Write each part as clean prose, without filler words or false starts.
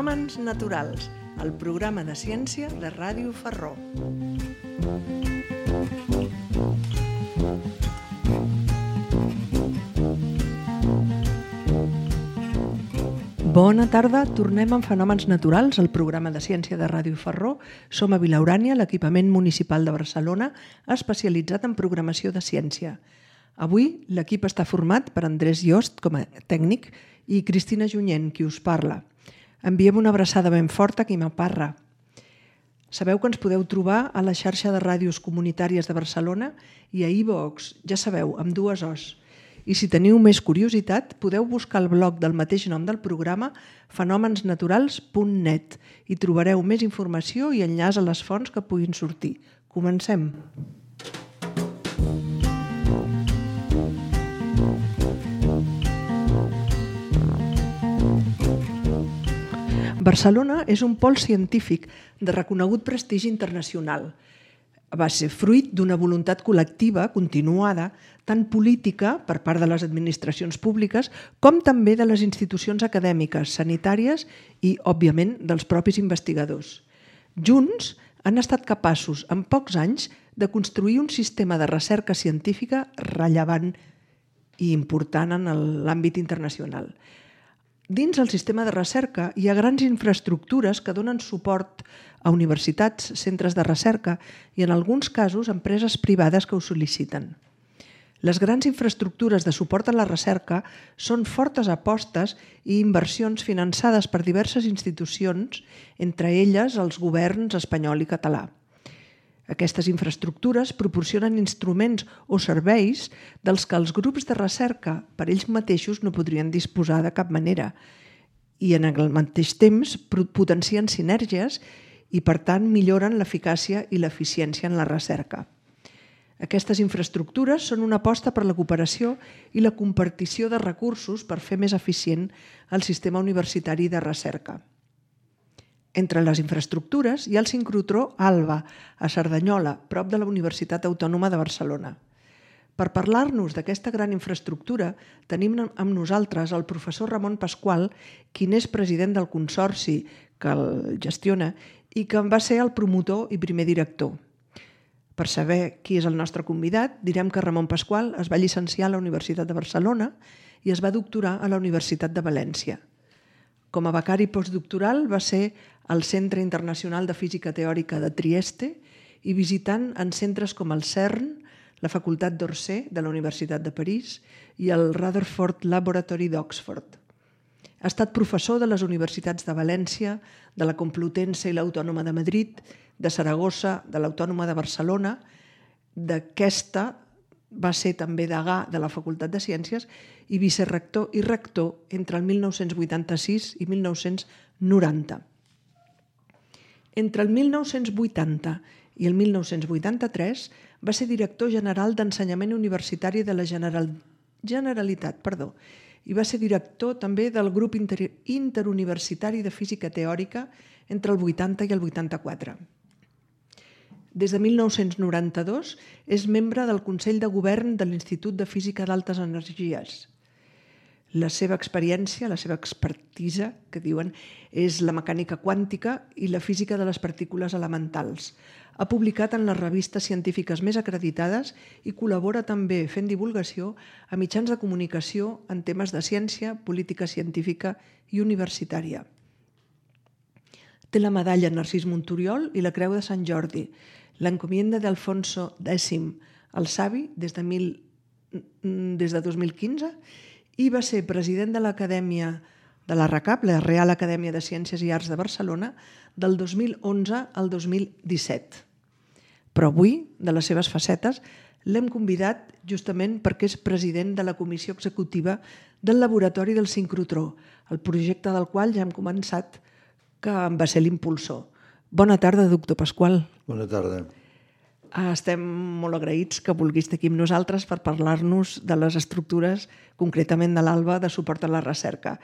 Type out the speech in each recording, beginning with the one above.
Fenòmens naturals, el programa de ciència de Ràdio Ferró. Bona tarda, tornem amb Fenòmens naturals, el programa de ciència de Ràdio Ferró. Som a Vilaurània, l'equipament municipal de Barcelona, especialitzat en programació de ciència. Avui l'equip està format per Andrés Yost com a tècnic i Cristina Junyent, qui us parla. Enviem una abraçada ben forta a Quima Parra. Sabeu que ens podeu trobar a la xarxa de ràdios comunitàries de Barcelona i a iVoox, ja sabeu, amb 2 Os. I si teniu més curiositat, podeu buscar el blog del mateix nom del programa, fenomensnaturals.net, i trobareu més informació i enllaç a les fonts que puguin sortir. Comencem! Barcelona és un pol científic de reconegut prestigi internacional. Va ser fruit d'una voluntat col·lectiva continuada, tant política per part de les administracions públiques com també de les institucions acadèmiques, sanitàries i, òbviament, dels propis investigadors. Junts han estat capaços, en pocs anys, de construir un sistema de recerca científica rellevant i important en l'àmbit internacional. Dins el sistema de recerca hi ha grans infraestructures que donen suport a universitats, centres de recerca i, en alguns casos, empreses privades que ho sol·liciten. Les grans infraestructures de suport a la recerca són fortes apostes i inversions finançades per diverses institucions, entre elles els governs espanyol i català. Aquestes infraestructures proporcionen instruments o serveis dels que els grups de recerca per ells mateixos no podrien disposar de cap manera i en el mateix temps potencien sinergies i per tant milloren l'eficàcia i l'eficiència en la recerca. Aquestes infraestructures són una aposta per la cooperació i la compartició de recursos per fer més eficient el sistema universitari de recerca. Entre les infraestructures hi ha el sincrotró ALBA, a Cerdanyola, prop de la Universitat Autònoma de Barcelona. Per parlar-nos d'aquesta gran infraestructura, tenim amb nosaltres el professor Ramon Pasqual, qui n'és president del consorci que el gestiona i que en va ser el promotor i primer director. Per saber qui és el nostre convidat, direm que Ramon Pasqual es va llicenciar a la Universitat de Barcelona i es va doctorar a la Universitat de València. Com a becari postdoctoral va ser al Centre Internacional de Física Teòrica de Trieste i visitant en centres com el CERN, la Facultat d'Orsay de la Universitat de París i el Rutherford Laboratory d'Oxford. Ha estat professor de les universitats de València, de la Complutense i l'Autònoma de Madrid, de Saragossa, de l'Autònoma de Barcelona. D'aquesta va ser també degà de la Facultat de Ciències i vicerector i rector entre el 1986 i 1990. Entre el 1980 i el 1983 va ser director general d'Ensenyament Universitari de la Generalitat i va ser director també del Grup Interuniversitari de Física Teòrica entre el 80 i el 84. Des de 1992 és membre del Consell de Govern de l'Institut de Física d'Altes Energies. La seva experiència, la seva expertisa, que diuen, és la mecànica quàntica i la física de les partícules elementals. Ha publicat en les revistes científiques més acreditades i col·labora també fent divulgació a mitjans de comunicació en temes de ciència, política científica i universitària. Té la medalla Narcís Monturiol i la Creu de Sant Jordi, l'encomienda d'Alfonso X el Savi des de 2015 i va ser president de l'Acadèmia de la RACAP, la Real Acadèmia de Ciències i Arts de Barcelona, del 2011 al 2017. Però avui, de les seves facetes, l'hem convidat justament perquè és president de la comissió executiva del Laboratori del Sincrotró, el projecte del qual ja hem començat, que en va ser l'impulsor. Bona tarda, doctor Pasqual. Bona tarda. Estem molt agraïts que vulguis estar aquí amb nosaltres per parlar-nos de les estructures, concretament de l'ALBA, de suport a la recerca.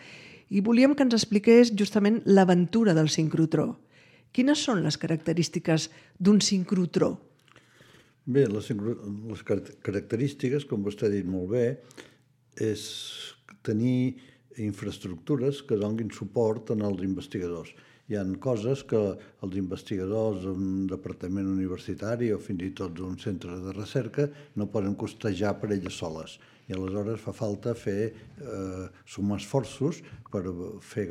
I volíem que ens expliqués justament l'aventura del sincrotró. Quines són les característiques d'un sincrotró? Bé, les característiques, com vostè ha dit molt bé, és tenir infraestructures que donin suport als investigadors. Hi ha coses que els investigadors d'un departament universitari o fins i tot d'un centre de recerca no poden costejar per elles soles. I aleshores fa falta sumar esforços per fer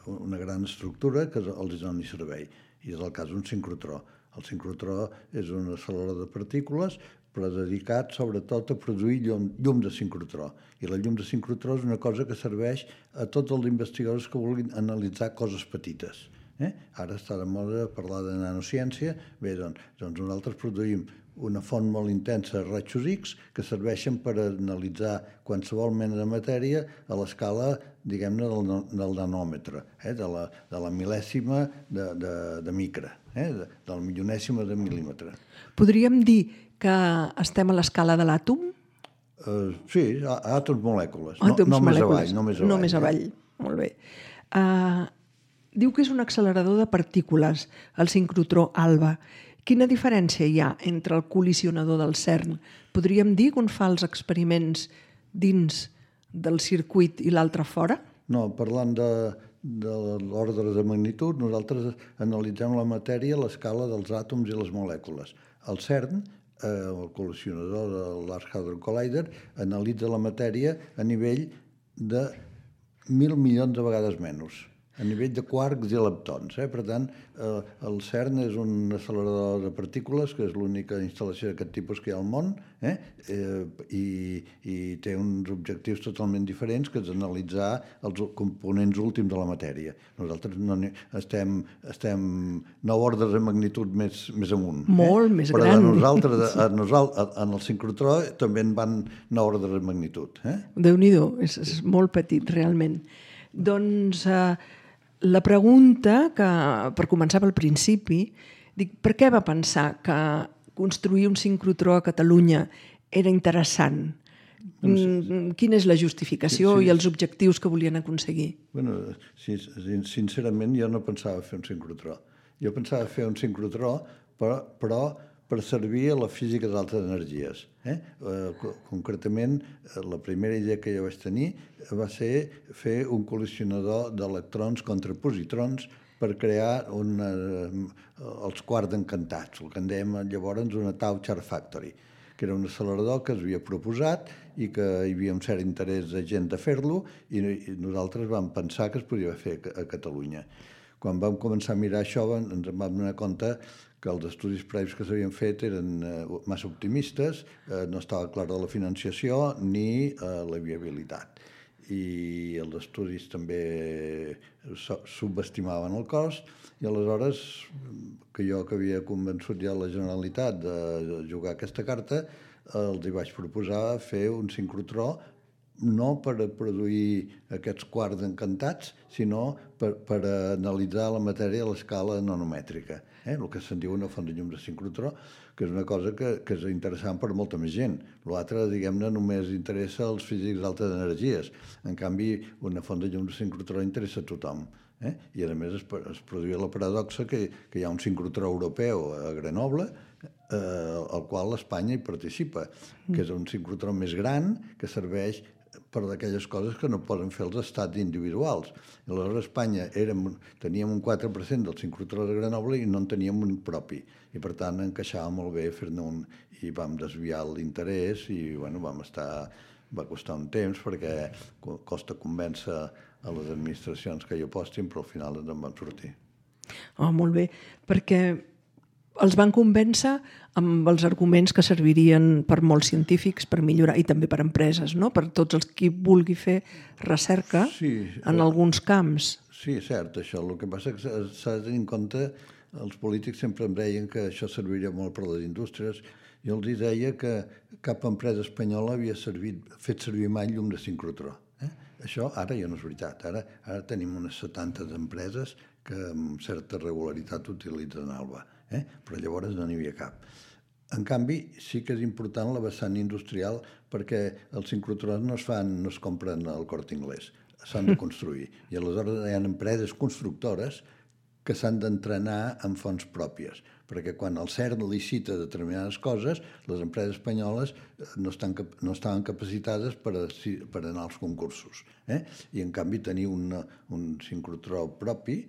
una gran estructura que els doni servei. I és el cas d'un sincrotró. El sincrotró és un accelerador de partícules però dedicat sobretot a produir llum de sincrotró. I la llum de sincrotró és una cosa que serveix a tots els investigadors que vulguin analitzar coses petites. Ara està de moda parlar de nanociència. Bé, doncs nosaltres produïm una font molt intensa de rajos X que serveixen per analitzar qualsevol mena de matèria a l'escala, diguem-ne, del nanòmetre, de la mil·lèsima de micra, de la milionèsima de mil·límetre. Podríem dir que estem a l'escala de l'àtom? Sí, àtoms molècules. Només avall. Molt bé. Diu que és un accelerador de partícules, el sincrotró ALBA. Quina diferència hi ha entre el col·lisionador del CERN? Podríem dir que un fa els experiments dins del circuit i l'altre fora? No, parlant de l'ordre de magnitud, nosaltres analitzem la matèria a l'escala dels àtoms i les molècules. El CERN, el col·lisionador de Large Hadron Collider, analitza la matèria a nivell de 1.000 milions de vegades menys, a nivell de quarks i leptons. Per tant, el CERN és un accelerador de partícules, que és l'única instal·lació d'aquest tipus que hi ha al món, i té uns objectius totalment diferents, que és analitzar els components últims de la matèria. Nosaltres estem 9 ordres de magnitud més amunt. Molt més gran. Però nosaltres, en el sincrotró, també en van 9 ordres de magnitud. Déu-n'hi-do, és molt petit, realment. Doncs la pregunta, que per començar pel principi, dic, per què va pensar que construir un sincrotró a Catalunya era interessant? Quina és la justificació i els objectius que volien aconseguir? Sincerament, jo no pensava fer un sincrotró. Jo pensava fer un sincrotró, però per servir a la física d'altes energies. Concretament, la primera idea que jo vaig tenir va ser fer un col·lisionador d'electrons contra positrons per crear els quarks encantats, el que en dèiem llavors una Tau Char Factory, que era un accelerador que es havia proposat i que hi havia un cert interès de gent de fer-lo i nosaltres vam pensar que es podia fer a Catalunya. Quan vam començar a mirar això ens vam donar compte que els estudis previs que s'havien fet eren massa optimistes, no estava clara la financiació ni la viabilitat. I els estudis també subestimaven el cost i aleshores, que jo que havia convençut ja la Generalitat de jugar aquesta carta, els hi vaig proposar fer un sincrotró no per produir aquests quarks encantats, sinó per analitzar la matèria a l'escala nanomètrica, el que se'n diu una font de llum de sincrotró, que és una cosa que és interessant per molta més gent. L'altre, diguem-ne, només interessa als físics d'altes energies. En canvi, una font de llum de sincrotró interessa a tothom. I, a més, es produïa la paradoxa que hi ha un sincrotró europeu a Grenoble, al qual Espanya hi participa, que és un sincrotró més gran, que serveix per d'aquelles coses que no poden fer els estats individuals. I aleshores a Espanya teníem un 4% del sincrotró de Grenoble i no en teníem un propi. I per tant encaixava molt bé fer-ne un i vam desviar l'interès i va costar un temps perquè costa convèncer a les administracions que hi apostin, però al final en van sortir. Molt bé, perquè els van convèncer amb els arguments que servirien per molts científics per millorar, i també per empreses, no? Per tots els qui vulgui fer recerca en alguns camps. Sí, és cert, això. El que passa és que s'ha de tenir en compte, els polítics sempre em deien que això serviria molt per a les indústries. Jo els deia que cap empresa espanyola havia fet servir mai llum de sincrotró. Això ara ja no és veritat. Ara tenim unes 70 empreses que amb certa regularitat utilitzen ALBA. Però llavors no n'hi havia cap. En canvi, sí que és important la vessant industrial perquè els sincrotrons no es compren al Corte Inglés, s'han de construir. I aleshores hi ha empreses constructores que s'han d'entrenar en fonts pròpies, perquè quan el CERN licita determinades coses, les empreses espanyoles no estaven capacitades per anar als concursos. I, en canvi, tenir un sincrotró propi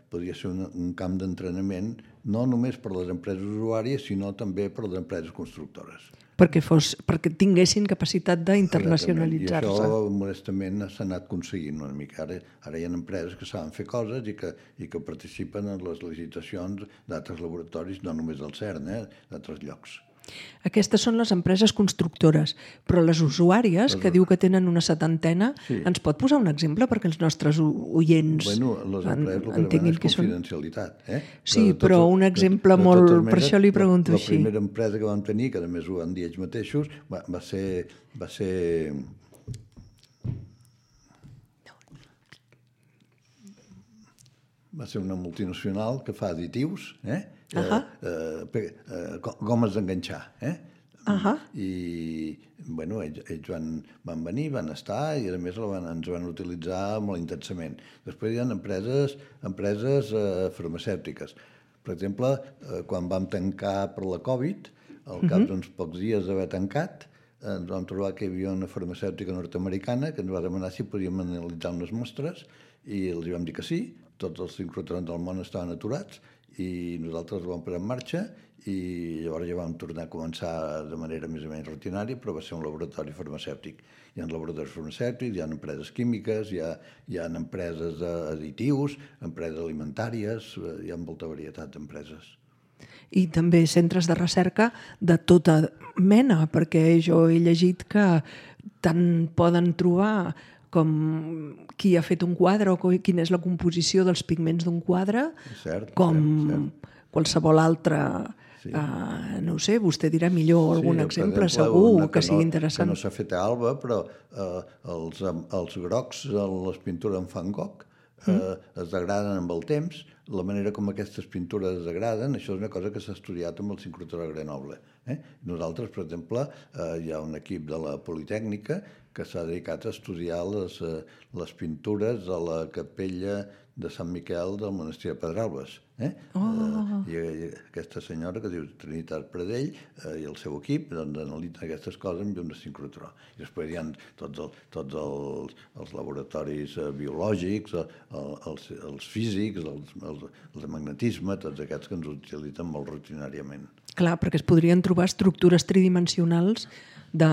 podria ser un camp d'entrenament no només per a les empreses usuàries, sinó també per a les empreses constructores. Perquè tinguessin capacitat d'internacionalitzar-se. I això, modestament, s'ha anat aconseguint una mica. Ara hi ha empreses que saben fer coses i que participen en les licitacions d'altres laboratoris, no només del CERN, d'altres llocs. Aquestes són les empreses constructores, però les usuàries, que diu que tenen una 70, ens pot posar un exemple perquè els nostres oients entenguin què són? Confidencialitat. Sí, però un exemple molt... Per això li pregunto així. La primera empresa que vam tenir, que a més ho van dir ells mateixos, va ser una multinacional que fa additius, gomes d'enganxar. I, ells van venir, van estar i, a més, ens van utilitzar molt intensament. Després hi ha empreses farmacèutiques. Per exemple, quan vam tancar per la Covid, al cap d'uns pocs dies d'haver tancat, ens vam trobar que hi havia una farmacèutica nord-americana que ens va demanar si podíem analitzar unes mostres i els vam dir que sí. Tots els sincrotrons del món estaven aturats i nosaltres ho vam posar en marxa i llavors ja vam tornar a començar de manera més o menys rutinària, però va ser un laboratori farmacèutic. Hi ha laboratoris farmacèutics, hi ha empreses químiques, hi ha empreses d'additius, empreses alimentàries, hi ha molta varietat d'empreses. I també centres de recerca de tota mena, perquè jo he llegit que tant poden trobar com qui ha fet un quadre o quina és la composició dels pigments d'un quadre, com qualsevol altre, no ho sé, vostè dirà millor algun exemple, segur que sigui interessant. Que no s'ha fet a Alba, però els grocs de les pintures en Van Gogh es degraden amb el temps. La manera com aquestes pintures es degraden, això és una cosa que s'ha estudiat amb el sincrotró a Grenoble. Nosaltres, per exemple, hi ha un equip de la Politècnica que s'ha dedicat a estudiar les pintures de la capella de Sant Miquel del monestir de Pedralbes. I aquesta senyora, que diu Trinitat Pradell, i el seu equip analitzen aquestes coses amb llum de sincrotró. I després hi ha tots els laboratoris biològics, els físics, el magnetisme, tots aquests que ens utilitzen molt rutinàriament. Clar, perquè es podrien trobar estructures tridimensionals de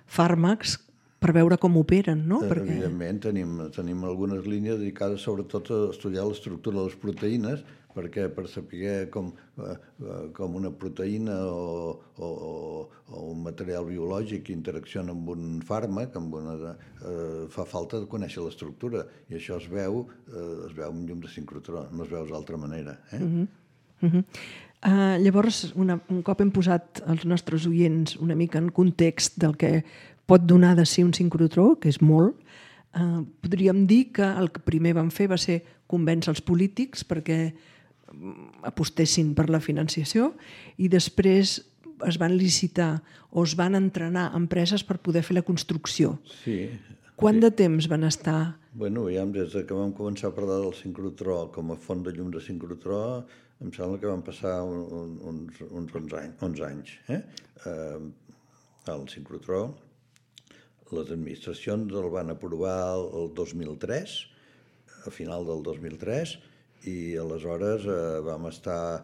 fàrmacs per veure com operen, no? Evidentment, tenim algunes línies dedicades sobretot a estudiar l'estructura de les proteïnes, perquè per saber com una proteïna o un material biològic interacciona amb un fàrmac, fa falta de conèixer l'estructura, i això es veu amb llum de sincrotró, no es veu d'altra manera. Llavors, un cop hem posat els nostres oients una mica en context del que pot donar de si un sincrotró, que és molt, podríem dir que el que primer van fer va ser convèncer els polítics perquè apostessin per la financiació i després es van licitar o es van entrenar empreses per poder fer la construcció. Sí. Quant de temps van estar? Bueno, des que vam començar a parlar del sincrotró com a font de llum de sincrotró, em sembla que van passar uns 11 anys. El sincrotró, les administracions el van aprovar el 2003, a final del 2003, i aleshores vam estar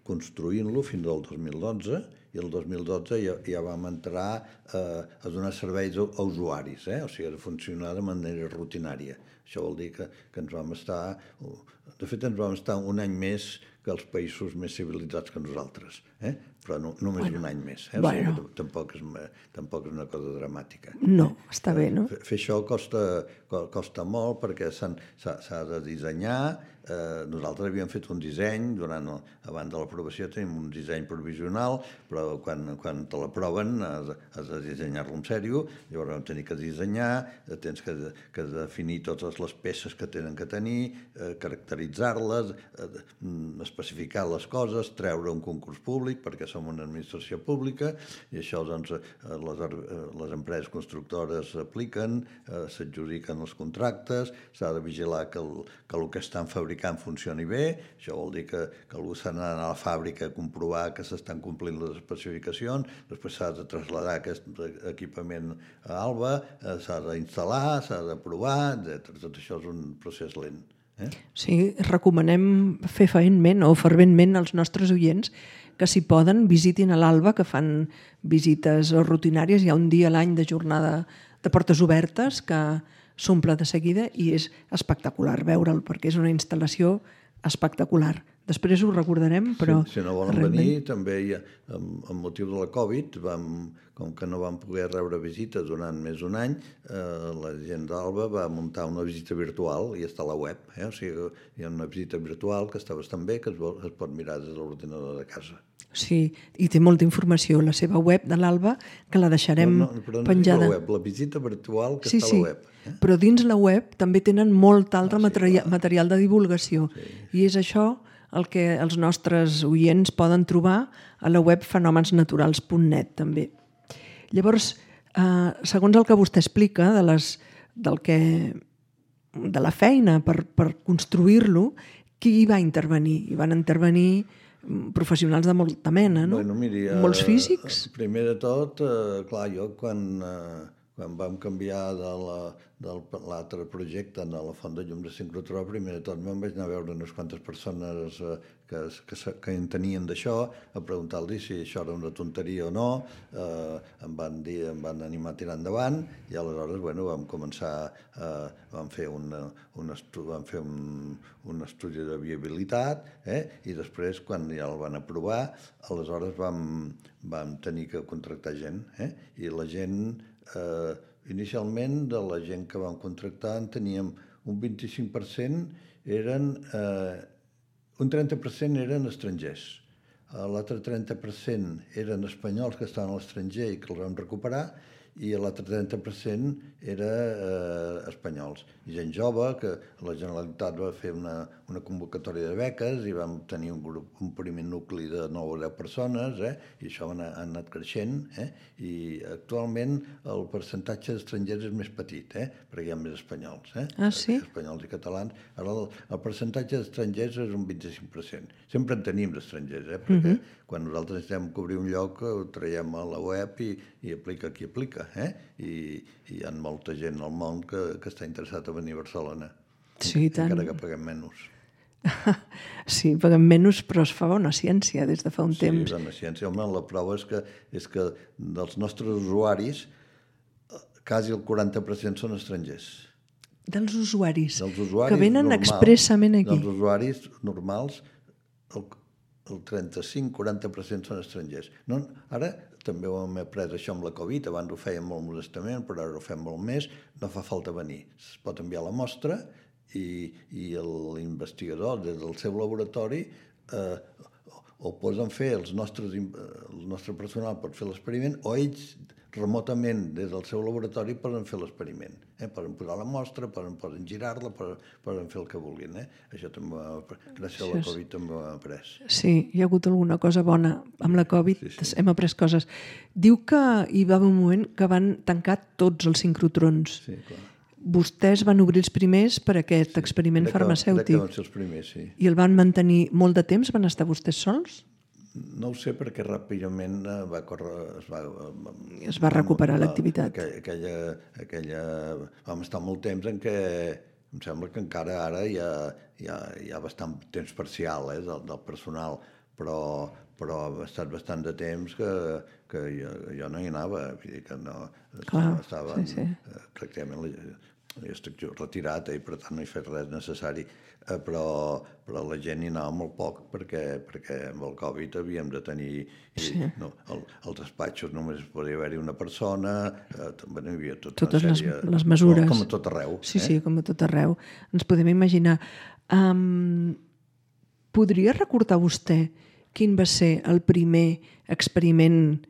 construint-lo fins al 2012, i el 2012 ja vam entrar a donar serveis a usuaris, o sigui, a funcionar de manera rutinària. Això vol dir que ens vam estar... De fet, ens vam estar un any més que els països més civilitzats que nosaltres, però només un any més. O sigui, tampoc és una cosa dramàtica. No, està bé, no? Fer això costa molt perquè s'ha de dissenyar. Nosaltres havíem fet un disseny, abans de l'aprovació tenim un disseny provisional, però quan te l'aproven has de dissenyar-lo en sèrio, llavors vam tenir que dissenyar, tens que definir totes les peces que tenen que tenir, caracteritzar-les, especificar les coses, treure un concurs públic, públic, perquè som una administració pública, i això doncs, les empreses constructores apliquen, s'adjudiquen els contractes, s'ha de vigilar que el que estan fabricant funcioni bé, això vol dir que algú s'ha d'anar a la fàbrica a comprovar que s'estan complint les especificacions, després s'ha de traslladar aquest equipament a Alba, s'ha d'instal·lar, s'ha de provar, etc. Tot això és un procés lent. Sí, recomanem fefaentment o ferventment als nostres oients que si poden visitin a l'Alba, que fan visites rutinàries. Hi ha un dia a l'any de jornada de portes obertes que s'omple de seguida i és espectacular veure'l perquè és una instal·lació espectacular. Després ho recordarem, però... Si no volen venir, també amb motiu de la Covid, com que no vam poder rebre visites durant més d'un any, la gent d'Alba va muntar una visita virtual i està a la web. O sigui, hi ha una visita virtual que està bastant bé, que es pot mirar des de l'ordinador de casa. Sí, i té molta informació a la seva web de l'Alba, que la deixarem penjada. La web, la visita virtual que està a la web. Però dins la web també tenen molt altre material de divulgació. I és això el que els nostres oients poden trobar a la web fenomensnaturals.net també. Llavors, segons el que vostè explica de la feina per construir-lo, qui hi va intervenir? Hi van intervenir professionals de molta mena, no? Bueno, miri, molts físics? Primer de tot, clar, jo quan vam canviar de l'altre projecte a la font de llum de sincrotró, primer de tot me'n vaig anar a veure unes quantes persones que en tenien d'això, a preguntar-los si això era una tonteria o no, em van animar a tirar endavant, i aleshores, bueno, vam començar, vam fer un estudi de viabilitat, i després, quan ja el van aprovar, aleshores vam tenir que contractar gent, i la gent, inicialment, de la gent que vam contractar, en teníem un 25% un 30% eren estrangers. L'altre 30% eren espanyols que estaven a l'estranger i que els vam recuperar, i l'altre 30% era espanyols. I gent jove, que la Generalitat va fer una convocatòria de beques i vam tenir un primer nucli de 9 o 10 persones, i això ha anat creixent, i actualment el percentatge d'estrangers és més petit, perquè hi ha més espanyols. Ah, sí? Espanyols i catalans. Ara el percentatge d'estrangers és un 25%. Sempre en tenim d'estrangers, perquè quan nosaltres necessitem cobrir un lloc ho traiem a la web i aplica qui aplica. I hi ha molta gent al món que està interessat a venir a Barcelona. Sí, tant. Encara que paguem menys. Sí, paguem menys, però es fa bona ciència des de fa un temps. Sí, bona ciència. Home, la prova és que dels nostres usuaris quasi el 40% són estrangers. Dels usuaris que venen expressament aquí. Dels usuaris normals, el 35-40% són estrangers. Ara també ho hem après això amb la Covid, abans ho fèiem molt modestament, però ara ho fem molt més, no fa falta venir. Es pot enviar la mostra i l'investigador des del seu laboratori o poden fer el nostre personal pot fer l'experiment, o ells remotament des del seu laboratori poden fer l'experiment. Poden posar la mostra, poden girar-la, poden fer el que vulguin. Això també, gràcies a la Covid, també ho hem après. Sí, hi ha hagut alguna cosa bona amb la Covid, hem après coses. Diu que hi va haver un moment que van tancar tots els sincrotrons. Sí, clar. Vostès van obrir els primers per aquest experiment farmacèutic. Crec que van ser els primers, sí. I el van mantenir molt de temps? Van estar vostès sols? No ho sé, perquè ràpidament es va recuperar l'activitat. Vam estar molt temps en què em sembla que encara ara hi ha bastant temps parcial del personal, però ha estat bastant de temps que jo no hi anava, vull dir que no estava pràcticament... Jo estic retirat i per tant no he fet res necessari, però la gent hi anava molt poc perquè amb el Covid havíem de tenir... Els despatxos només podia haver-hi una persona, també no hi havia tota una sèrie... Totes les mesures. Com a tot arreu. Sí, com a tot arreu. Ens podem imaginar. Podria recordar vostè quin va ser el primer experiment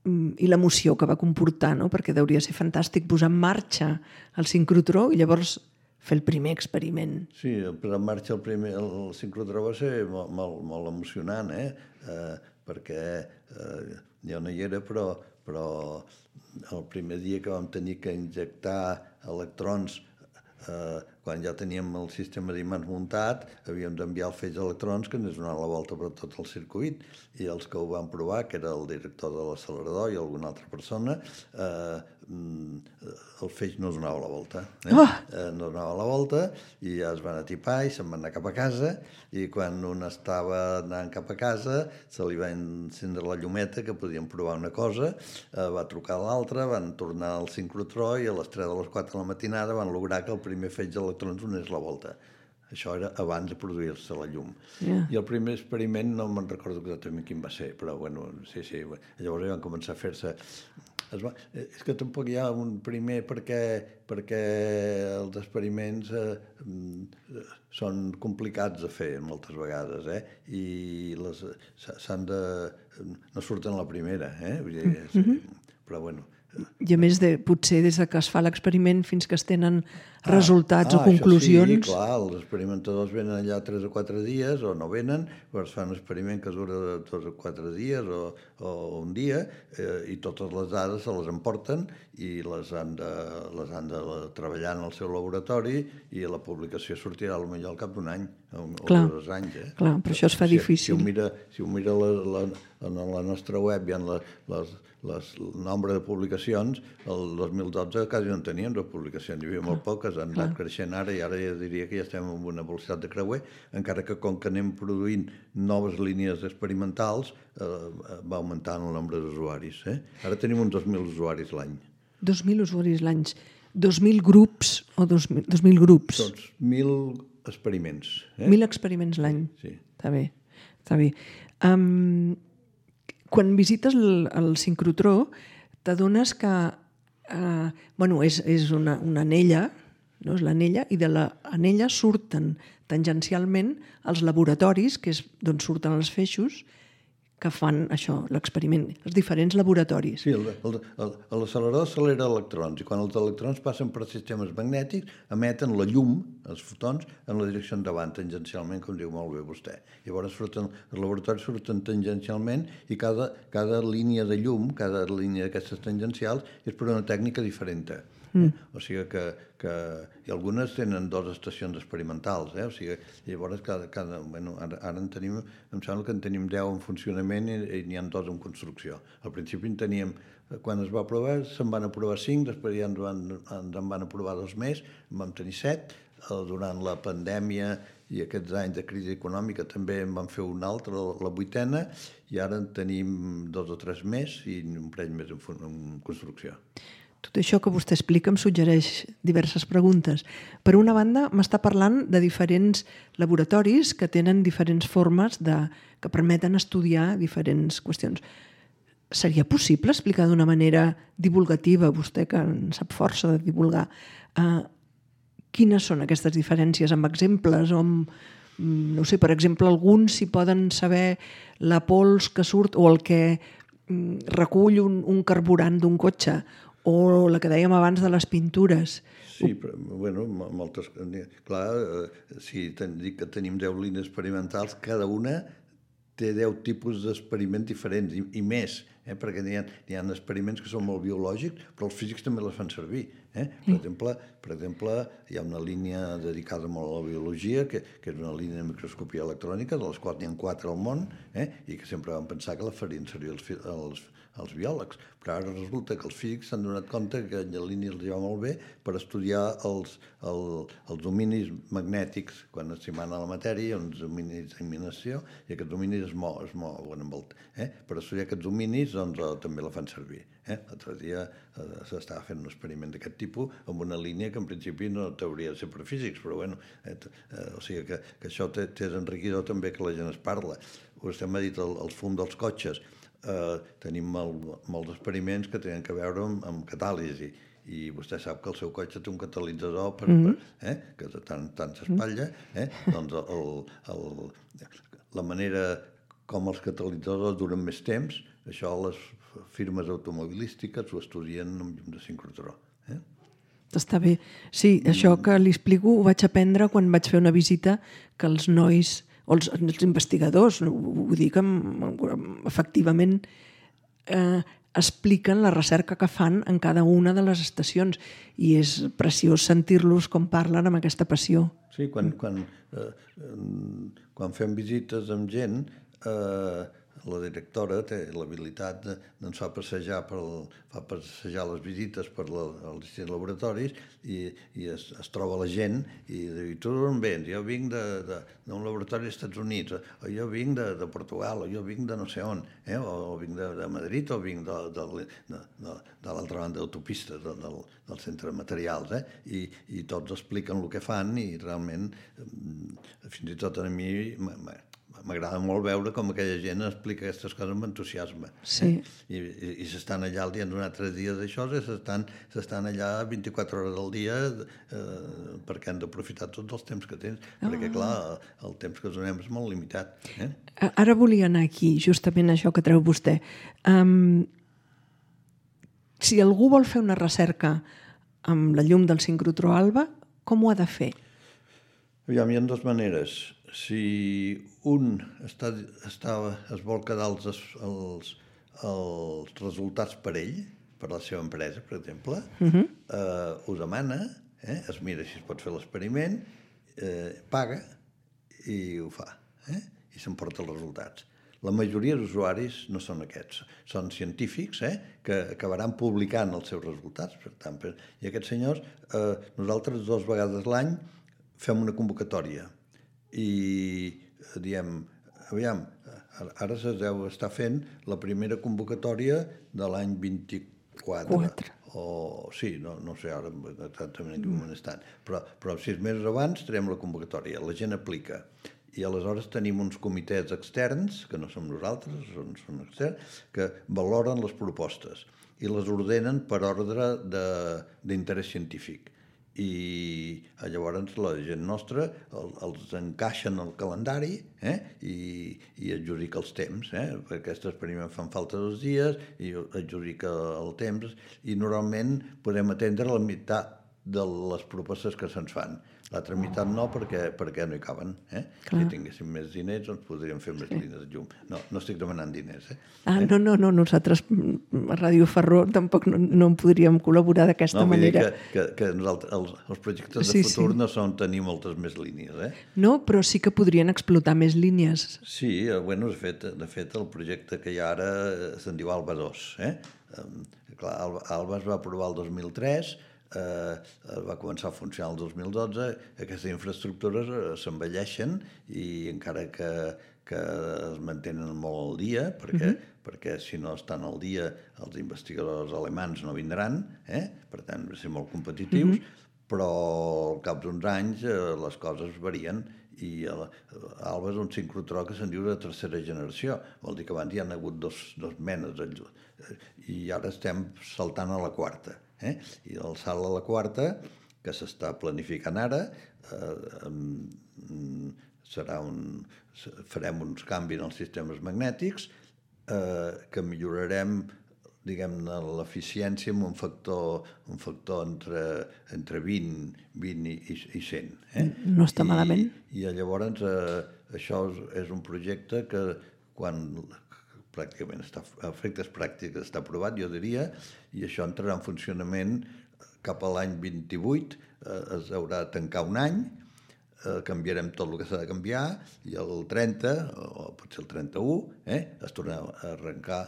i l'emoció que va comportar, no? Perquè hauria de ser fantàstic posar en marxa el sincrotró i llavors fer el primer experiment. Sí, posar en marxa el sincrotró va ser molt emocionant, jo no hi era, però el primer dia que vam tenir que injectar electrons, quan ja teníem el sistema d'imants muntat, havíem d'enviar el feix d'electrons que ens donaven la volta per tot el circuit, i els que ho van provar, que era el director de l'accelerador i alguna altra persona, el feix no donava la volta. No donava la volta, i ja es van atipar i se'n van anar cap a casa, i quan un estava anant cap a casa se li va encendre la llumeta que podien provar una cosa, va trucar a l'altre, van tornar al sincrotró i a les 3 o les 4 de la matinada van lograr que el primer feix d'electrons donés la volta. Això era abans de produir-se la llum. I el primer experiment no me'n recordo exactament quin va ser, però bueno, sí. Llavors ja van començar a fer-se... És que tampoc hi ha un primer perquè els experiments són complicats de fer moltes vegades, i s'han de... no surten a la primera, però bueno... I a més, potser des que es fa l'experiment fins que es tenen resultats o conclusions... Això sí, clar, els experimentadors venen allà 3 o 4 dies o no venen, però es fa un experiment que dura 2 o 4 dies o un dia, i totes les dades se les emporten i les han de treballar en el seu laboratori, i la publicació sortirà potser al cap d'un any o 2 anys. Clar, però això es fa difícil. Si ho mira en la nostra web hi ha el nombre de publicacions, el 2012 quasi no en teníem de publicacions, hi havia molt poques, han anat creixent ara, i ara ja diria que ja estem en una velocitat de creuer, encara que com que anem produint noves línies experimentals, va augmentant el nombre d'usuaris. Ara tenim uns 2.000 usuaris l'any. 2.000 usuaris l'any. 2.000 grups o 2.000 grups? Doncs 1.000 experiments. 1.000 experiments l'any. Sí. Està bé. Quan visites el sincrotró, t'adones que és una anella, no? És l'anella, i de l'anella surten tangencialment els laboratoris, que és d'on surten els feixos, que fan això, l'experiment, els diferents laboratoris. Sí, l'accelerador accelera electrons, i quan els electrons passen per sistemes magnètics emeten la llum, els fotons, en la direcció endavant, tangencialment, com diu molt bé vostè. Llavors els laboratoris surten tangencialment, i cada línia de llum, cada línia d'aquestes tangencials, és per una tècnica diferent. O sigui que algunes tenen 2 estacions experimentals, o sigui, llavors ara en tenim, em sembla que en tenim 10 en funcionament i n'hi ha 2 en construcció. Al principi en teníem, quan es va aprovar, se'n van aprovar 5, després ja ens en van aprovar 2 més, en vam tenir 7, durant la pandèmia i aquests anys de crisi econòmica també en van fer una altra, la 8a, i ara en tenim 2 o 3 més i un parell més en construcció. Tot això que vostè explica em suggereix diverses preguntes. Per una banda, m'està parlant de diferents laboratoris que tenen diferents formes que permeten estudiar diferents qüestions. Seria possible explicar d'una manera divulgativa, vostè que en sap força de divulgar, quines són aquestes diferències amb exemples o amb, no sé, per exemple, alguns si poden saber la pols que surt o el que recull un carburant d'un cotxe, o la que dèiem abans de les pintures. Sí, però, bueno, moltes... Clar, si dic que tenim 10 línies experimentals, cada una té 10 tipus d'experiments diferents, i més, perquè n'hi ha experiments que són molt biològics, però els físics també les fan servir. Per exemple, hi ha una línia dedicada molt a la biologia, que és una línia de microscopia electrònica, de les quals n'hi ha 4 al món, i que sempre vam pensar que la farien servir els biòlegs. Però ara resulta que els físics s'han donat compte que la línia els va molt bé per estudiar els dominis magnètics quan s'hi mana la matèria, hi ha uns dominis d'eliminació, i aquests dominis es mouen amb el... Per estudiar aquests dominis doncs, també la fan servir. L'altre dia s'estava fent un experiment d'aquest tipus amb una línia que en principi no hauria de ser per físics, però bueno, o sigui que això és enriquidor també que la gent es parla. Vostè m'ha dit el fum dels cotxes. Tenim molts experiments que tenen a veure amb catàlisi, i vostè sap que el seu cotxe té un catalitzador que tant s'espatlla, doncs la manera com els catalitzadors duren més temps, això les firmes automobilístiques ho estudien amb llum de sincrotró. Està bé. Sí, això que li explico ho vaig aprendre quan vaig fer una visita que els nois o els investigadors, ho dic efectivament, expliquen la recerca que fan en cada una de les estacions i és preciós sentir-los com parlen amb aquesta passió. Sí, quan fem visites amb gent, la directora té l'habilitat de fa passejar les visites per als distints laboratoris i es troba la gent i diu, tu d'on vens? Jo vinc d'un laboratori dels Estats Units, o jo vinc de Portugal, o jo vinc de no sé on, o vinc de Madrid, o vinc de l'altra banda d'autopista, del centre de materials, i tots expliquen el que fan i realment, fins i tot a mi m'agrada molt veure com aquella gent explica aquestes coses amb entusiasme. Sí. I s'estan allà el dia d'un altre dia d'això, s'estan allà 24 hores al dia perquè han d'aprofitar tots els temps que tens, perquè clar, el temps que donem és molt limitat. Ara volia anar aquí, justament això que treu vostè. Si algú vol fer una recerca amb la llum del sincrotró alba, com ho ha de fer? Aviam, hi ha dues maneres. Si un es vol quedar els resultats per ell, per la seva empresa, per exemple, ho demana, es mira si es pot fer l'experiment, paga i ho fa, i s'emporta els resultats. La majoria d'usuaris no són aquests, són científics que acabaran publicant els seus resultats. Per tant, i aquests senyors, nosaltres 2 vegades l'any fem una convocatòria i diem, aviam, ara es deu estar fent la primera convocatòria de l'any 24. Sí, no sé ara exactament en quin moment estan, però 6 mesos abans traiem la convocatòria, la gent aplica. I aleshores tenim uns comitès externs, que no som nosaltres, són externs, que valoren les propostes i les ordenen per ordre d'interès científic. I llavors la gent nostra els encaixen al calendari i adjudica els temps, perquè aquest experiment fan falta 2 dies i adjudica el temps i normalment podem atendre la meitat de les propostes que se'ns fan. L'altra meitat no, perquè no hi caben. Si tinguéssim més diners, doncs podríem fer més línies de llum. No estic demanant diners. No, nosaltres a Ràdio Ferró tampoc no en podríem col·laborar d'aquesta manera. Que els projectes de futur no són tenir moltes més línies. No, però sí que podrien explotar més línies. Sí, de fet el projecte que hi ha ara se'n diu ALBA 2. ALBA es va aprovar el 2003, va començar a funcionar el 2012, aquestes infraestructures s'envelleixen i encara que es mantenen molt al dia, perquè si no estan al dia els investigadors alemans no vindran, per tant, han de ser molt competitius, però al cap d'uns anys les coses varien i ALBA és un sincrotró que se'n diu de tercera generació, vol dir que abans hi ha hagut dos menes i ara estem saltant a la quarta. I el salt a la quarta, que s'està planificant ara, farem uns canvis en els sistemes magnètics que millorarem, diguem-ne, l'eficiència amb un factor entre 20 i 100. No està malament. I llavors això és un projecte que quan pràcticament a efectes pràctics està aprovat, jo diria, i això entrarà en funcionament cap a l'any 28, es haurà de tancar un any, canviarem tot el que s'ha de canviar, i el 30, o potser el 31, es tornarà a arrencar,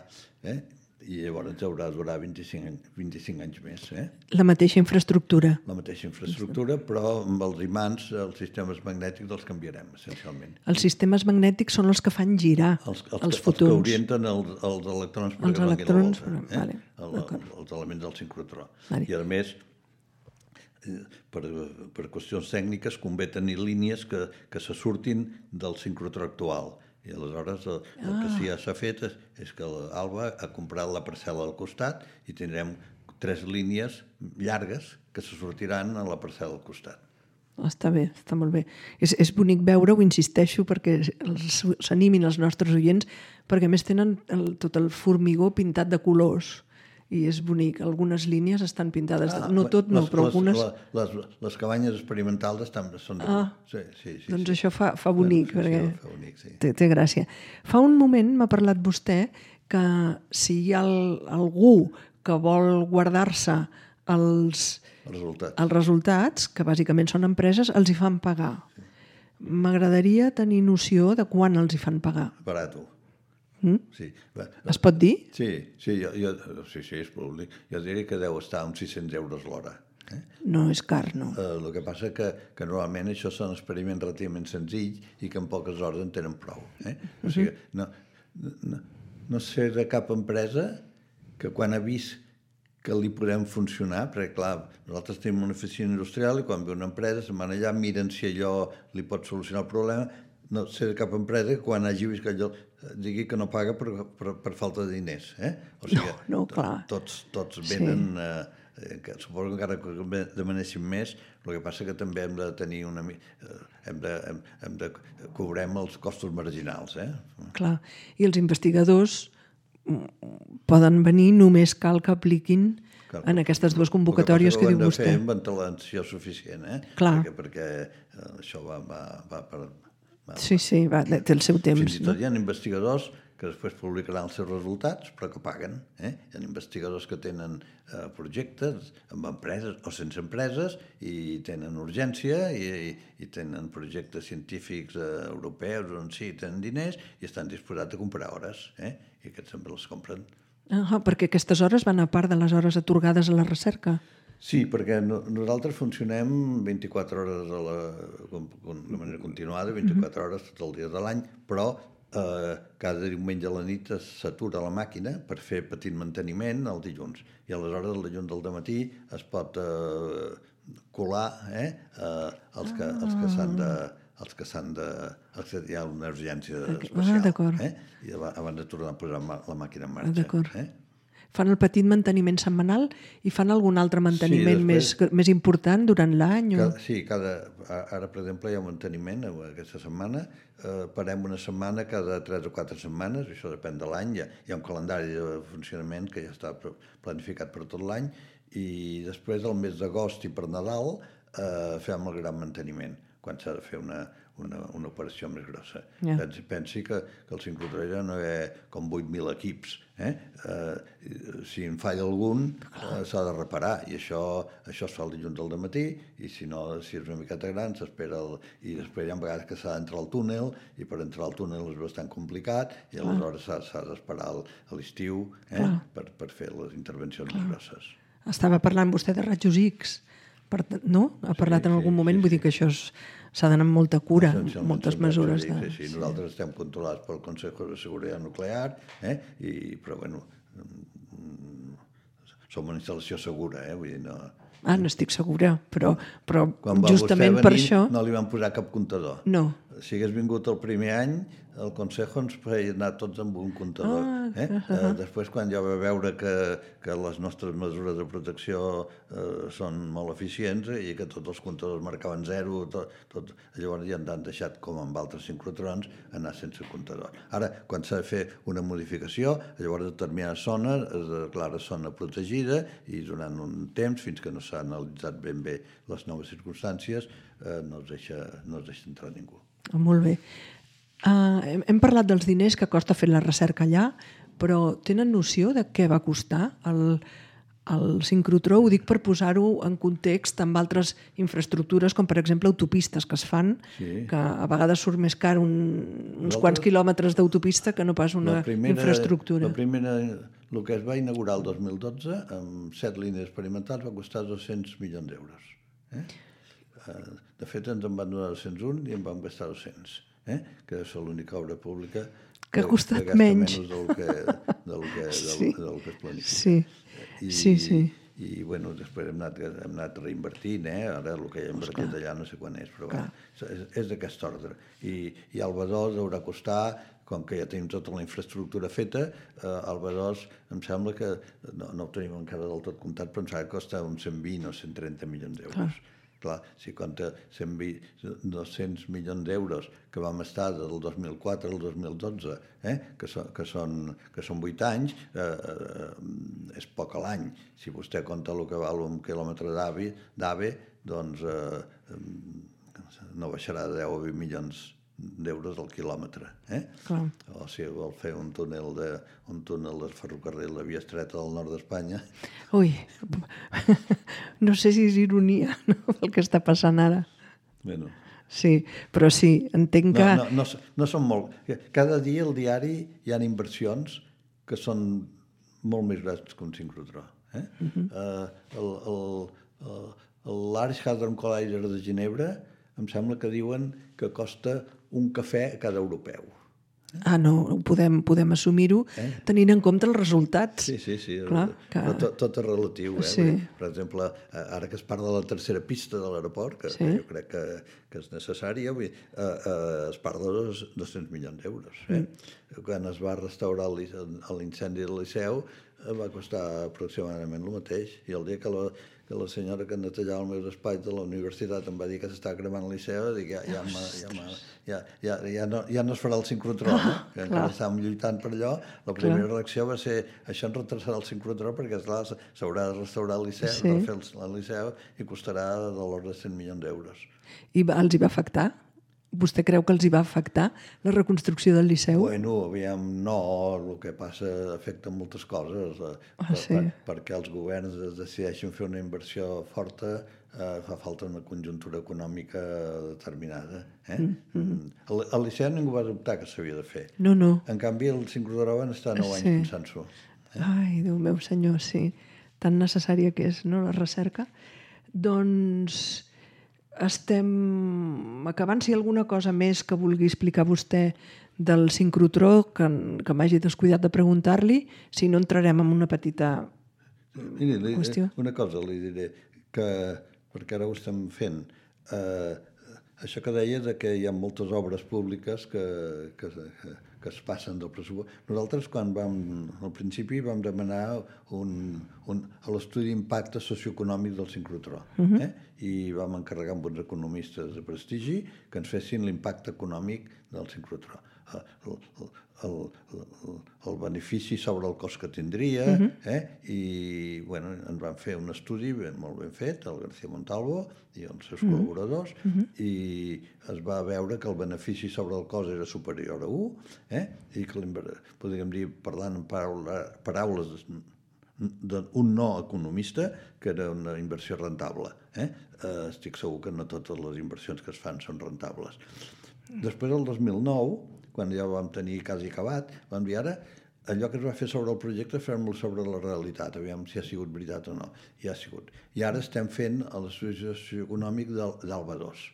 i llavors haurà de durar 25 anys més. La mateixa infraestructura. La mateixa infraestructura, però amb els imants, els sistemes magnètics els canviarem, essencialment. Els sistemes magnètics són els que fan girar els fotons. Els que orienten els electrons per davant i la volta. Els elements del sincrotró. I a més, per qüestions tècniques, convé tenir línies que se surtin del sincrotró actual. I aleshores el que sí ja s'ha fet és que l'ALBA ha comprat la parcel·la al costat i tindrem 3 línies llargues que se sortiran a la parcel·la al costat. Està bé, està molt bé. És bonic veure-ho, insisteixo, perquè s'animin els nostres oients, perquè a més tenen tot el formigó pintat de colors i és bonic. Algunes línies estan pintades. No tot, no, però algunes... Les cabanyes experimentals són de... Sí. Doncs això fa bonic, perquè fa bonic, sí. Té gràcia. Fa un moment m'ha parlat vostè que si hi ha algú que vol guardar-se els resultats, que bàsicament són empreses, els hi fan pagar. M'agradaria tenir noció de quan els hi fan pagar. Barato. Sí. Es pot dir? Sí, és públic. Jo diria que deu estar uns 600 euros l'hora. No és car, no. El que passa que normalment això són experiments relativament senzills i que en poques hores en tenen prou. O sigui, no sé de cap empresa que quan ha vist que li podem funcionar, perquè clar, nosaltres tenim una oficina industrial i quan ve una empresa se'n van allà, miren si allò li pot solucionar el problema. No sé de cap empresa que quan hagi vist que allò digui que no paga per falta de diners. O sigui, clar. Tots venen... Suposo que encara que demanessin més, el que passa que també hem de tenir hem de cobrem els costos marginals. Clar, i els investigadors poden venir, només cal que apliquin en aquestes dues convocatòries que diu vostè. Ho hem de fer amb ventilació suficient, Clar. Perquè això va per... Sí, té el seu temps. Fins i tot hi ha investigadors que després publicaran els seus resultats, però que paguen. Hi ha investigadors que tenen projectes amb empreses o sense empreses i tenen urgència i tenen projectes científics europeus on sí, tenen diners i estan disposats a comprar hores. I aquests també les compren. Perquè aquestes hores van a part de les hores atorgades a la recerca. Sí, perquè nosaltres funcionem 24 hores de manera continuada, 24 hores tots els dies de l'any, però cada diumenge a la nit s'atura la màquina per fer petit manteniment el dilluns. I aleshores el dilluns del dematí es pot colar els que hi ha una urgència especial. I abans de tornar a posar la màquina en marxa. D'acord. Fan el petit manteniment setmanal i fan algun altre manteniment més important durant l'any? Sí, ara, per exemple, hi ha un manteniment aquesta setmana. Parem una setmana cada 3 o 4 setmanes, això depèn de l'any. Hi ha un calendari de funcionament que ja està planificat per tot l'any i després, al mes d'agost i per Nadal, fem el gran manteniment, quan s'ha de fer una operació més grossa. Pensi que el sincrotró ja no hi ha com 8.000 equips. Si en falla algun, s'ha de reparar, i això es fa el dilluns al dematí, i si no, si és una miqueta gran, s'espera i després hi ha vegades que s'ha d'entrar al túnel, i per entrar al túnel és bastant complicat, i aleshores s'ha d'esperar a l'estiu per fer les intervencions més grosses. Estava parlant vostè de rajos X, no? Ha parlat en algun moment, vull dir que això s'ha d'anar amb molta cura, moltes mesures. Sí, nosaltres estem controlats pel Consejo de Seguridad Nuclear, però bueno, som una instal·lació segura, vull dir, no... N'estic segura, però justament per això... No li van posar cap comptador. No. Si hagués vingut el primer any, el Consejo ens feia anar tots amb un comptador. Després, quan ja va veure que les nostres mesures de protecció són molt eficients i que tots els comptadors marcaven 0, llavors ja ens han deixat, com amb altres sincrotrons, anar sense comptador. Ara, quan s'ha de fer una modificació, llavors determinades zones es declara zona protegida i durant un temps, fins que no s'ha analitzat ben bé les noves circumstàncies, no es deixa entrar ningú. Molt bé. Hem parlat dels diners que costa fer la recerca allà, però tenen noció de què va costar el sincrotró? Ho dic per posar-ho en context amb altres infraestructures, com per exemple autopistes que es fan, que a vegades surt més car uns quants quilòmetres d'autopista que no pas una infraestructura. El que es va inaugurar el 2012, amb 7 línies experimentals, va costar 200 milions d'euros. De fet, ens en van donar 201 i en vam gastar 200. Que és l'única obra pública que ha costat menys del que es planifica. Sí. I bueno, després hem anat reinvertint, ara el que hi ha invertit allà no sé quan és, però és d'aquest ordre. I el B2 haurà costar, com que ja tenim tota la infraestructura feta, el B2 em sembla que, no ho tenim encara del tot comptat, però em sembla que costa uns 120 o 130 milions d'euros. Clar, si compta 200 milions d'euros que vam estar del 2004 al 2012, que són 8 anys, és poc a l'any. Si vostè compta el que val un quilòmetre d'AVE, doncs no baixarà de 10 o 20 milions d'euros al quilòmetre. O si vol fer un túnel del ferrocarril, la via estreta del nord d'Espanya. Ui, no sé si és ironia, no, el que està passant ara. Bueno. Sí, però sí, entenc que... No són molt... Cada dia al diari hi ha inversions que són molt més grans que un sincrotró. L'Arch Hadron Collider de Ginebra em sembla que diuen que costa un cafè a cada europeu. Ah, no, podem assumir-ho tenint en compte els resultats. Sí. Clar, però tot és relatiu. Sí. Per exemple, ara que es parla de la tercera pista de l'aeroport, que jo crec que és necessària, es parla de 200 milions d'euros. Quan es va restaurar l'incendi del Liceu va costar aproximadament el mateix, i el dia que la senyora que netejava el meu despatx de la universitat em va dir que s'estava cremant el Liceu, dic, ja no es farà el sincrotró, que encara estàvem lluitant per allò. La primera reacció va ser, això ens retrasarà el sincrotró perquè, esclar, s'haurà de restaurar el Liceu, de fer el Liceu, i costarà de l'ordre de 100 milions d'euros. I els hi va afectar? Vostè creu que els hi va afectar la reconstrucció del Liceu? Bueno, aviam, no, el que passa afecta moltes coses. Perquè els governs decideixen fer una inversió forta, fa falta una conjuntura econòmica determinada. Al Liceu ningú va dubtar que s'havia de fer. No. En canvi, el sincrotró van estar 9 anys pensant-s'ho. Ai, Déu meu senyor, sí. Tan necessària que és, no?, la recerca. Doncs... estem acabant. Si hi ha alguna cosa més que vulgui explicar vostè del sincrotró que m'hagi descuidat de preguntar-li, si no entrarem en una petita qüestió. Una cosa li diré, perquè ara ho estem fent, això que deia de que hi ha moltes obres públiques que es passen del pressupost. Nosaltres, al principi, vam demanar l'estudi d'impacte socioeconòmic del sincrotró, i vam encarregar amb uns economistes de prestigi que ens fessin l'impacte econòmic del sincrotró. El benefici sobre el cost que tindria, i ens van fer un estudi molt ben fet, el García Montalvo i els seus col·laboradors, i es va veure que el benefici sobre el cost era superior a 1, i que, podríem dir, parlant en paraules d'un no economista, que era una inversió rentable. Estic segur que no totes les inversions que es fan són rentables. Després, el 2009, quan ja ho vam tenir quasi acabat, vam dir, ara, allò que es va fer sobre el projecte, fem-lo sobre la realitat, aviam si ha sigut veritat o no. I ha sigut. I ara estem fent l'estudi socioeconòmic d'Alba 2,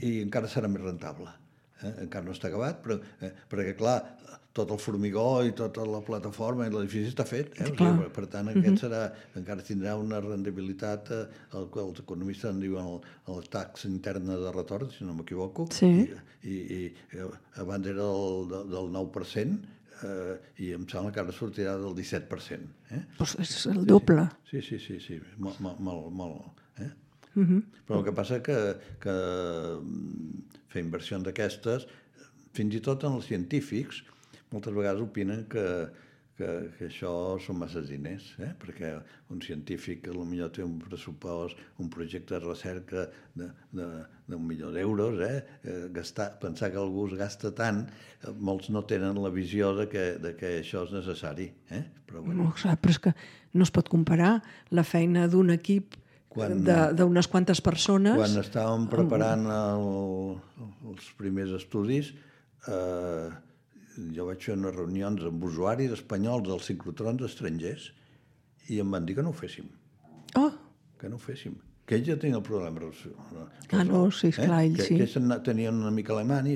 i encara serà més rentable. Encara no està acabat, perquè, clar, tot el formigó i tota la plataforma i l'edifici està fet. Per tant, aquest encara tindrà una rendibilitat, el que els economistes en diuen la taxa interna de retorn, si no m'equivoco, i abans era del 9%, i em sembla que ara sortirà del 17%. Doncs és el doble. Sí, molt. Però el que passa que fer inversions d'aquestes, fins i tot en els científics, moltes vegades opinen que això són massa diners, perquè un científic que potser té un pressupost, un projecte de recerca d'1 milió d'euros, pensar que algú es gasta tant, molts no tenen la visió de que això és necessari. Però és que no es pot comparar la feina d'un equip d'unes quantes persones. Quan estàvem preparant els primers estudis, jo vaig fer unes reunions amb usuaris espanyols dels sincrotrons estrangers i em van dir que no ho féssim. Que no ho féssim. Que ells ja tenien el problema. Sí, esclar, ells sí. Que ells tenien una mica alemany i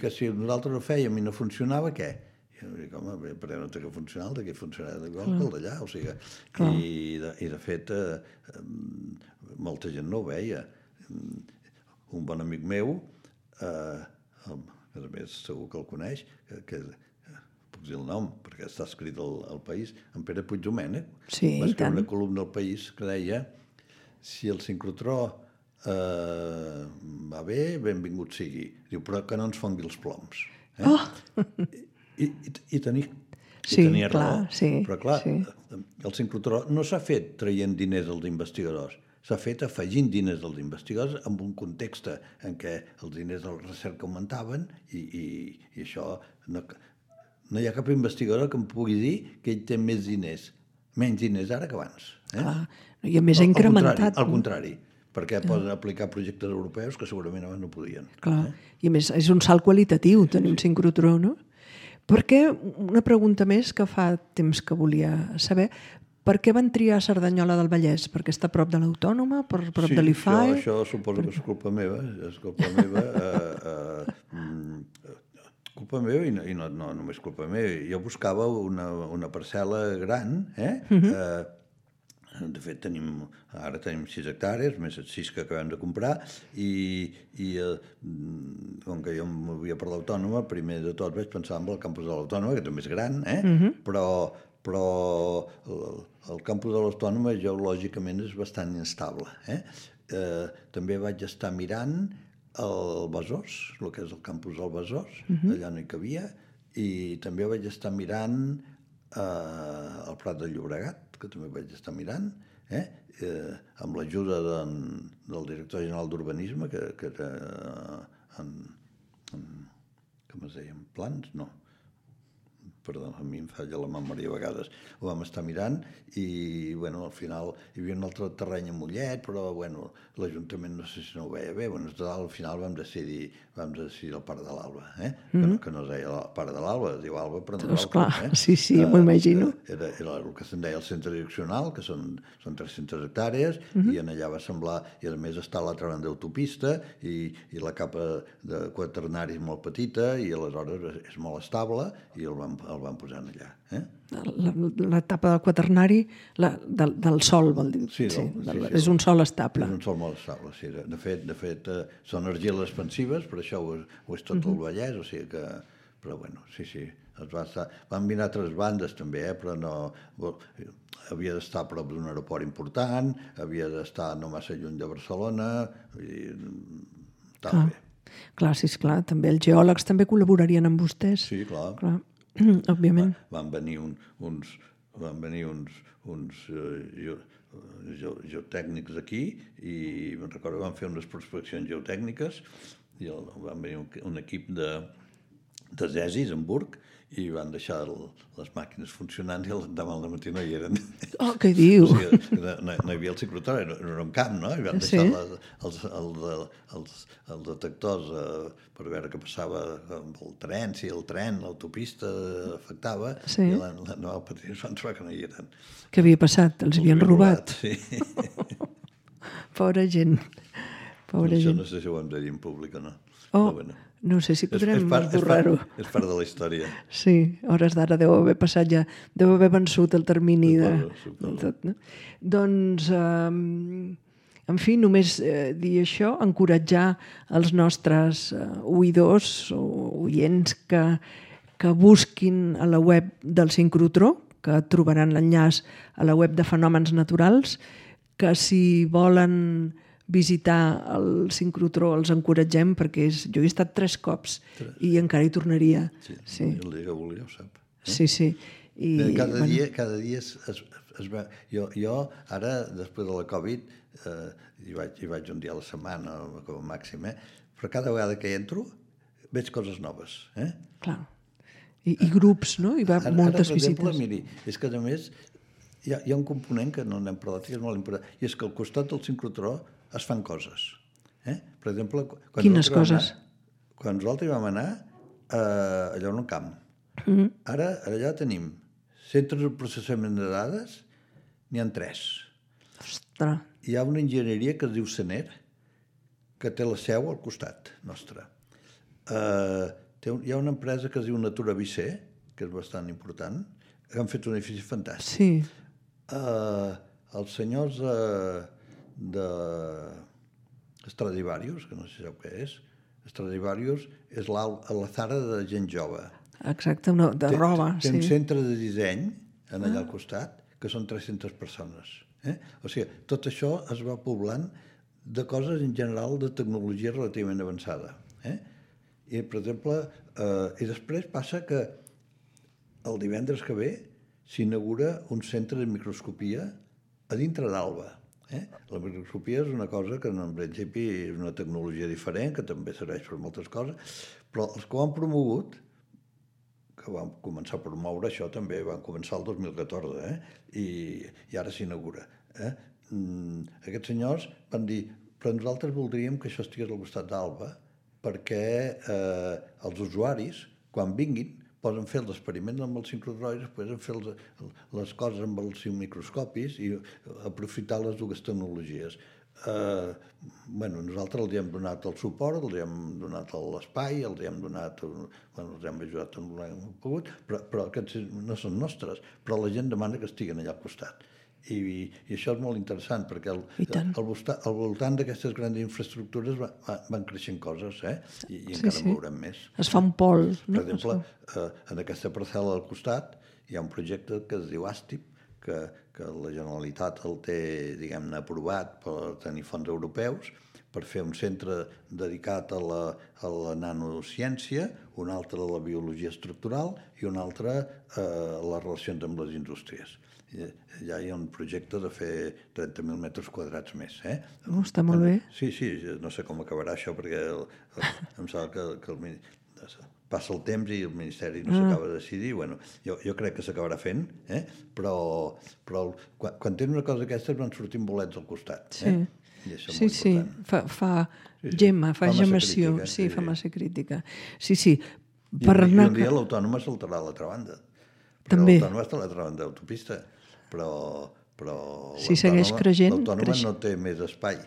que si nosaltres ho fèiem i no funcionava, què? I jo dic, home, perquè no té que funcionar, el d'aquí funcionarà igual que el d'allà. O sigui, i de fet, molta gent no ho veia. Un bon amic meu, a més segur que el coneix, que puc dir el nom, perquè està escrit al País, en Pere Puigdomènech, va escriure una columna al País que deia: si el sincrotró va bé, benvingut sigui. Diu, però que no ens fongui els ploms. I tenia raó. Però clar, el sincrotró no s'ha fet traient diners als investigadors, s'ha fet afegint diners als investigadors en un context en què els diners de la recerca augmentaven i això... No hi ha cap investigador que em pugui dir que ell té menys diners ara que abans. Clar, i a més ha incrementat. Al contrari, perquè poden aplicar projectes europeus que segurament abans no podien. Clar, i a més és un salt qualitatiu tenir un sincrotró, no? Perquè, una pregunta més que fa temps que volia saber, per què van triar Cerdanyola del Vallès? Perquè està a prop de l'Autònoma, a prop de l'IFAE? Sí, això suposo que és culpa meva, culpa meva i no només culpa meva. Jo buscava una parcel·la gran, de fet ara tenim 6 hectàrees, més 6 que acabem de comprar, i com que jo em movia per l'Autònoma, primer de tot vaig pensar en el campus de l'Autònoma, que també és gran, però el campus de l'Autònoma geològicament és bastant inestable. També vaig estar mirant el Besòs, el que és el campus del Besòs, allà no hi cabia, i també vaig estar mirant el Prat de Llobregat, que també vaig estar mirant, amb l'ajuda del director general d'Urbanisme, que era com es deia, en plans? No. Perdó, a mi em falla la memòria a vegades. Ho vam estar mirant i, al final hi havia un altre terreny a Mollet, però, l'Ajuntament no sé si no ho veia bé. Al final vam decidir el Parc de l'Alba, que no es deia el Parc de l'Alba, es diu Alba, però no és clar, sí, m'ho imagino. Era el que se'n deia el centre direccional, que són 300 hectàrees, i en allà va semblar, i a més està a l'altra banda d'autopista, i la capa de quaternari és molt petita, i aleshores és molt estable, i el van posar allà. L'etapa del quaternari del sòl, vol dir. Sí, és un sòl estable. És un sòl molt estable, sí. De fet, són argiles expansives, per això ho és tot el Vallès, o sigui que... Però, sí. Van mirar altres bandes, també, però no... Havia d'estar a prop d'un aeroport important, havia d'estar no massa lluny de Barcelona, i estava bé. Clar, sí, esclar. També els geòlegs també col·laborarien amb vostès. Sí, clar. Òbviament. Van venir uns geotècnics aquí i me'n recordo que van fer unes prospeccions geotècniques i van venir un equip de Zesis, Hamburg, i van deixar les màquines funcionant i demà al matí no hi eren. Oh, què diu? O sigui, no hi havia el ciclotró, era un camp, no? I van deixar els detectors per veure què passava amb el tren, si el tren, l'autopista afectava, i l'endemà al matí es van trobar que no hi eren. Què havia passat? Els havien robat? Sí. Pobra gent. Això no sé si ho hem de dir en públic o no. No sé si podrem esborrar-ho. És part de la història. Sí, hores d'ara deu haver passat ja, deu haver vençut el termini de tot. Doncs, en fi, només dir això, encoratjar els nostres oïdors o oients que busquin a la web del sincrotró, que trobaran l'enllaç a la web de Fenòmens Naturals, que si volen visitar el sincrotró els encoratgem, perquè jo he estat 3 cops i encara hi tornaria. Sí, el dia que volia ho sap. Sí. Cada dia es va... Jo ara, després de la Covid, hi vaig un dia a la setmana com a màxim, però cada vegada que hi entro veig coses noves. Clar. I grups, no? Hi va moltes visites. Per exemple, miri, és que a més hi ha un component que no n'hem parlat i que és molt important, i és que al costat del sincrotró es fan coses. Per exemple... Quines coses? Quan nosaltres vam anar allà en un camp. Ara allà tenim centres de processament de dades, n'hi ha 3. Ostres! Hi ha una enginyeria que es diu Sener, que té la seu al costat nostre. Hi ha una empresa que es diu Natura Vicé, que és bastant important, que han fet un edifici fantàstic. Sí. Els senyors de Stradivarius, que no sé si sap què és. Stradivarius és l'Alzara de gent jove. Exacte, de roba. Té un centre de disseny allà al costat, que són 300 persones. O sigui, tot això es va poblant de coses en general de tecnologia relativament avançada. I, per exemple, i després passa que el divendres que ve s'inaugura un centre de microscopia a dintre d'Alba. La microscopia és una cosa que en principi és una tecnologia diferent, que també serveix per moltes coses, però els que ho han promogut, que van començar a promoure això també, van començar el 2014, i ara s'inaugura. Aquests senyors van dir, però nosaltres voldríem que això estigués al costat d'Alba, perquè els usuaris, quan vinguin, poden fer els experiments amb els sincrotrois, poden fer les coses amb els microscopis i aprofitar les dues tecnologies. Nosaltres els hem donat el suport, els hem donat l'espai, els hem donat, els hem ajudat en el que hem pogut, però aquests no són nostres, però la gent demana que estiguen allà al costat. I això és molt interessant, perquè al voltant d'aquestes grans infraestructures van creixent coses, i encara en veurem més. Es fa un pol. Per exemple, en aquesta parcel·la al costat hi ha un projecte que es diu ASTIP, que la Generalitat el té, diguem-ne, aprovat per tenir fons europeus, per fer un centre dedicat a la nanociència, un altre a la biologia estructural i un altre a les relacions amb les indústries. Ja hi ha un projecte de fer 30.000 metres quadrats més. Està molt bé. Sí, no sé com acabarà això, perquè em sembla que passa el temps i el Ministeri no s'acaba de decidir. Jo crec que s'acabarà fent, però quan tens una cosa d'aquestes van sortint bolets al costat. Sí, fa gemma, fa gemmació, fa massa crítica. Sí. I un dia l'Autònoma saltarà a l'altra banda. També. L'Autònoma està a l'altra banda d'autopista, però si segueix creixent, l'Autònoma no té més espai.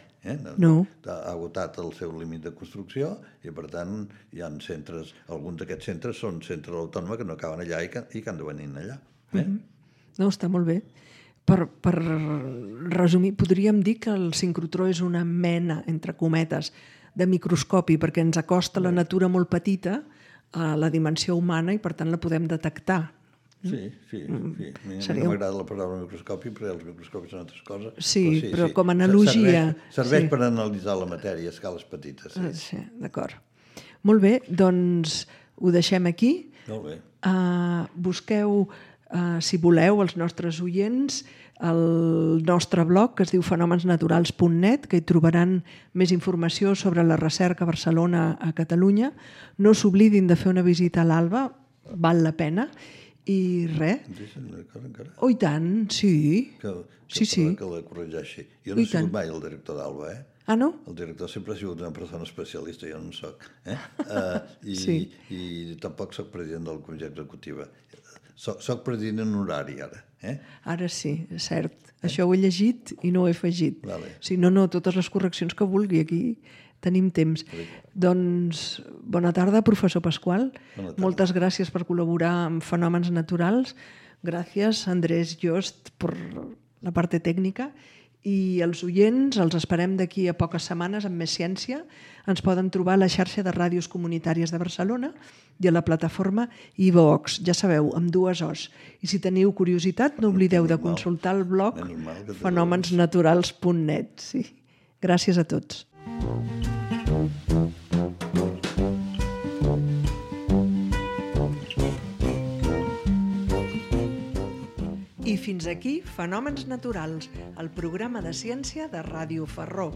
No. Ha agotat el seu límit de construcció i, per tant, hi ha centres, alguns d'aquests centres són centres de l'Autònoma que no acaben allà i que han de venir allà. No, està molt bé. Per resumir, podríem dir que el sincrotró és una mena, entre cometes, de microscopi, perquè ens acosta la natura molt petita a la dimensió humana i, per tant, la podem detectar. Sí. A mi no m'agrada la paraula microscopi, perquè els microscopis són altres coses. Sí, però com a analogia... Serveix per analitzar la matèria a escales petites. Sí, d'acord. Molt bé, doncs ho deixem aquí. Molt bé. Busqueu, si voleu, els nostres oients, el nostre blog, que es diu fenomensnaturals.net, que hi trobaran més informació sobre la recerca a Barcelona, a Catalunya. No s'oblidin de fer una visita a l'Alba, val la pena. I res. Oh, i tant, sí. Que la corregeixi. Jo no he sigut mai el director d'Alba, Ah, no? El director sempre ha sigut una persona especialista, jo no en soc. I tampoc soc president de la comissió executiva. Soc president en horari, ara. Ara sí, és cert. Això ho he llegit i no ho he afegit. Si no, totes les correccions que vulgui aquí tenim temps. Doncs, bona tarda, professor Pasqual. Moltes gràcies per col·laborar amb Fenòmens Naturals. Gràcies, Andrés Jost, per la part tècnica. I els oients els esperem d'aquí a poques setmanes amb més ciència. Ens poden trobar a la xarxa de ràdios comunitàries de Barcelona i a la plataforma iVox, ja sabeu, amb 2 O's. I si teniu curiositat, no oblideu de consultar el blog fenomensnaturals.net. Sí. Gràcies a tots. I fins aquí Fenòmens Naturals, el programa de ciència de Ràdio Ferró.